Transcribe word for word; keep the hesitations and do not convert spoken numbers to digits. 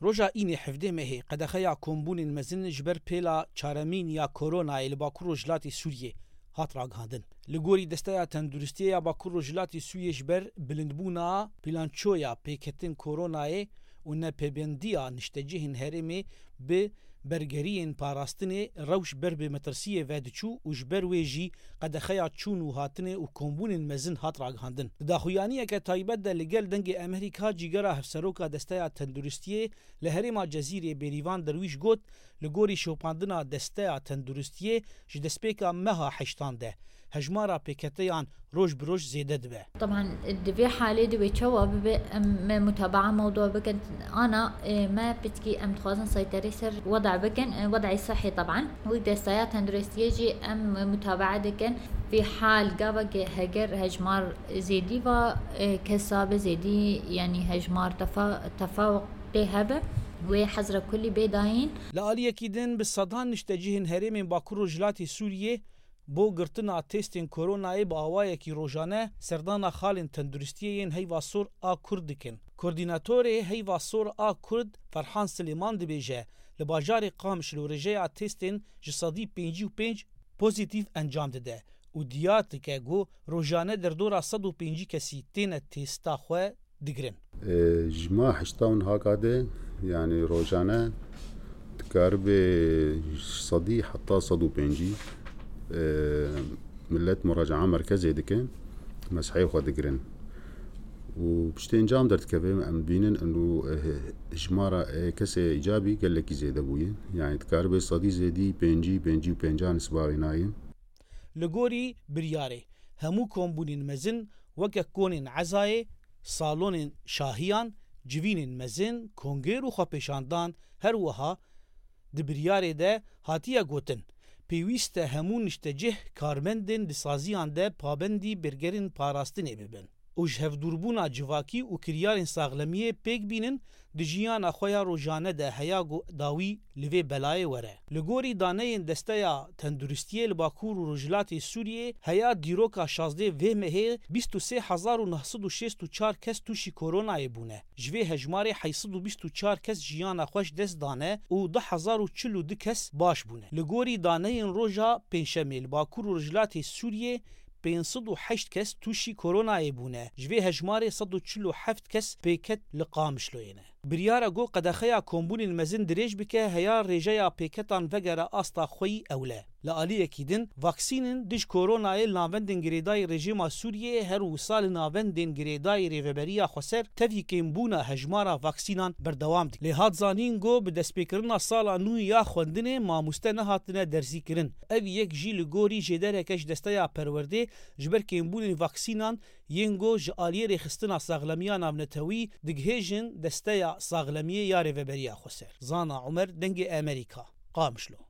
Roja Înê hevdê mehê qedexeya kombûnên mezin ji ber pêla çaremîn ya koronayê li Bakur Rojhilatê Sûriyê hat ragihandin. Li gorî Desteya Tenduristiyê ya Bakur Rojhilatê Sûriyê ji ber bilindbûna bilançoya pêketin koronayê û nepêbendiya niştecihên herêmê bi bergeriyên parastinê rewş ber bi metirsiyê ve diçû û ji ber wê jî qedexeya çûn û hatinê û kombûnên mezin hat ragihandin. Di daxuyaniyeke taybet de li gel Dengê Amerîka cîgera hevseroka Desteya Tenduristiyê li herêma Cezîrê Bêrîvan Derwîş got, li gorî şopandina Desteya Tenduristiyê ji destpêka meha heştan de hejmara pêketeyan roj bi roj zêde dibe. Taban di vê halê de wê çawa bibe, em me mutabaa mewdûa bikin. Ana, e, me pitkî em dixwazin seyterê ser weda bikin, e, wedayê sihê taban. Wî Desteya Tenduristiyê jî em mutabaa dikin. Vî hal gava ke heger hejmar zêdî va, e, kesa be zêdî, yanî hejmar tefa-, tefawuqê hebe, wê hezra kulî bê dayîn. Li aliyekî din bi sedan niştecihên herêmên Bakur Rojhilatê Sûriyê bo girtina testên koronayê bi awayekî rojane serdana xalên tenduristiyê yên Heyva Sor a Kurd dikin. Koordînatorê Heyva Sor a Kurd Ferhan Silêman dibêje, li bajarê Qamişlo rêjeya testên ji sedî pêncî û pênc pozîtîf encam dide û diyar dike ku rojane derdora sed û pêncî kesî têne testa xwe digirin. E, ji ma heşta û nehaka de, yanî rojane dikaribe sedî heta sed û pêncî, e, millet muracaa merkezê dike, mesehê xwe digirin. Û piştî encam derdikeve, em dibînin eno, e, hejmara, e, kesê îcabî gelekî zêde bûye. Yanî dikaribe sedî zêdî pêncî, pêncî û pênca nisba wê nayê. Li gorî biryarê, hemû kombûnên mezin weke konên ezayê, salonên şahiyan, civînên mezin, konger û xwepêşandan, her wiha di biryarê de hatiye gotin, pêwîst e hemû niştecih karmendên di saziyan de pabendî bergerên parastinê bibin û ji hevdûrbûna civakî û kiryarên saxlemiyê pêk bînin, di jiyana xwe ya rojane de heya ku dawî li vê belayê were. Li gorî daneyên Desteya Tenduristiyê li Bakur û Rojhilatê Sûriyê, heya dîroka şazdeh vê mehê bîst û sê hezar û neh sed û şêst û çar kes tûşî koronayê bûne. Ji vê hejmarê heyt sed û bîst û çar kes jiyana xwe ji dest dane û du hezar û çil û du kes baş bûne. Li gorî daneyên roja Pêncşemê li Bakur û Rojhilatê Sûriyê, pênc sed û heşt kes tûşî koronayê bûne. Ji vê hejmarê sed û çil û heft kes pêket li Qamişloyê ne. Biryara ku qedexeya kombûnên mezin dirêj bike, heya rêjeya pêketan vegere asta xwe yî ewle. Li aliyekî din, vaksînin dij koronayê li navendên girêdayî rejîma Sûriyeyê her wisa li navendên girêdayî Rêveberiya Xweser tevî kêmbûna hejmara vaksînan berdewam dike. Lê hat zanîn ku bi destpêkirina sala nû ya xwendinê mamoste nehatine dersîkirin. Ev yek jî li gorî jêdereke ji Desteya Perwerdê ji ber kêmbûnên vaksînan yên ku ji aliyê Rêxistina Saxlemiya Navnetewî digihêjin Desteya Saxlemiyê ya Rêveberiya Xweser. Zana Umer, Dengê Amerîka, Qamişlo.